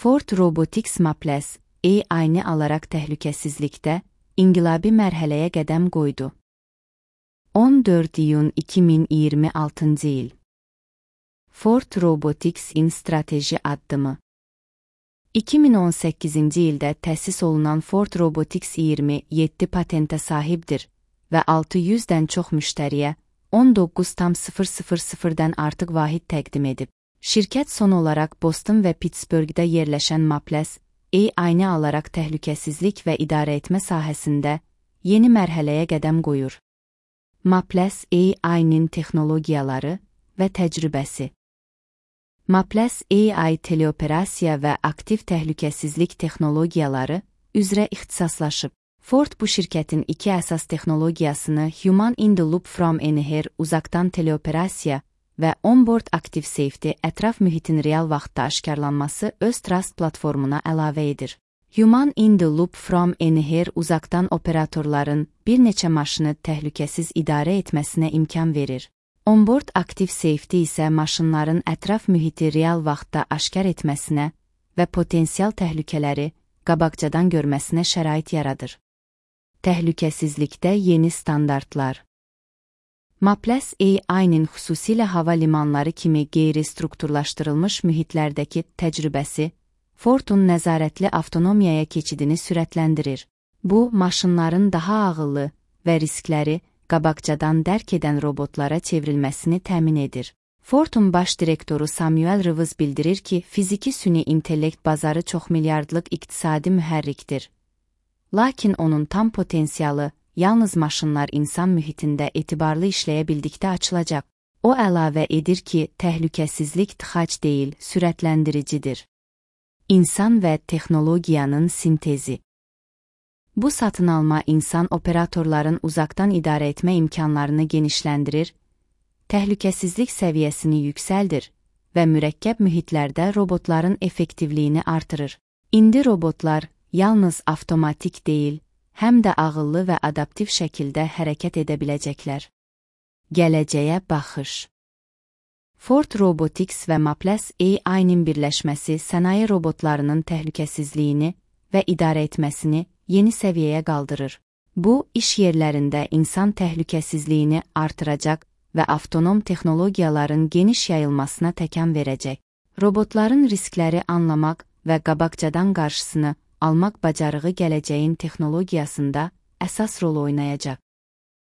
Ford Robotics Maples, AI-ni alaraq təhlükəsizlikdə inqilabi mərhələyə qədəm qoydu. 14 iyun 2026 il. Ford Robotics-in strateji addımı. 2018-ci ildə təsis olunan Ford Robotics 27 patentə sahibdir və 600-dən çox müştəriyə 19,000-dən artıq vahid təqdim edib. Şirkət son olaraq Boston və Pittsburghdə yerləşən Maples, AI-ni alaraq təhlükəsizlik və idarə etmə sahəsində yeni mərhələyə qədəm qoyur. Maples AI-nin texnologiyaları və təcrübəsi. Maples AI teleoperasiya və aktiv təhlükəsizlik texnologiyaları üzrə ixtisaslaşıb. Ford bu şirkətin iki əsas texnologiyasını Human in the Loop from Anywhere uzaqdan teleoperasiya və Onboard Active Safety ətraf mühitin real vaxtda aşkarlanması öz Trust platformuna əlavə edir. Human in the Loop from Anywhere uzaqdan operatorların bir neçə maşını təhlükəsiz idarə etməsinə imkan verir. Onboard Active Safety isə maşınların ətraf mühiti real vaxtda aşkar etməsinə və potensial təhlükələri qabaqcadan görməsinə şərait yaradır. Təhlükəsizlikdə yeni standartlar. Maples AI-nin xüsusilə hava limanları kimi qeyri-strukturlaşdırılmış mühitlərdəki təcrübəsi Ford'un nəzarətli avtonomiyaya keçidini sürətləndirir. Bu, maşınların daha ağıllı və riskləri qabaqcadan dərk edən robotlara çevrilməsini təmin edir. Ford'un baş direktoru Samuel Rivers bildirir ki, fiziki süni intellekt bazarı çoxmilyardlıq iqtisadi mühərrikdir. Lakin onun tam potensialı yalnız maşınlar insan mühitində etibarlı işləyə bildikdə açılacaq. O əlavə edir ki, təhlükəsizlik tıxac deyil, sürətləndiricidir. İnsan və texnologiyanın sintezi. Bu satın alma insan operatorların uzaqdan idarə etmə imkanlarını genişləndirir, təhlükəsizlik səviyyəsini yüksəldir və mürəkkəb mühitlərdə robotların effektivliyini artırır. İndi robotlar yalnız avtomatik deyil, həm də ağıllı və adaptiv şəkildə hərəkət edə biləcəklər. Gələcəyə baxış. Ford Robotics və Maples AI-nin birləşməsi sənaye robotlarının təhlükəsizliyini və idarə etməsini yeni səviyyəyə qaldırır. Bu, iş yerlərində insan təhlükəsizliyini artıracaq və avtonom texnologiyaların geniş yayılmasına təkan verəcək. Robotların riskləri anlamaq və qabaqcadan qarşısını almaq bacarığı gələcəyin texnologiyasında əsas rol oynayacaq.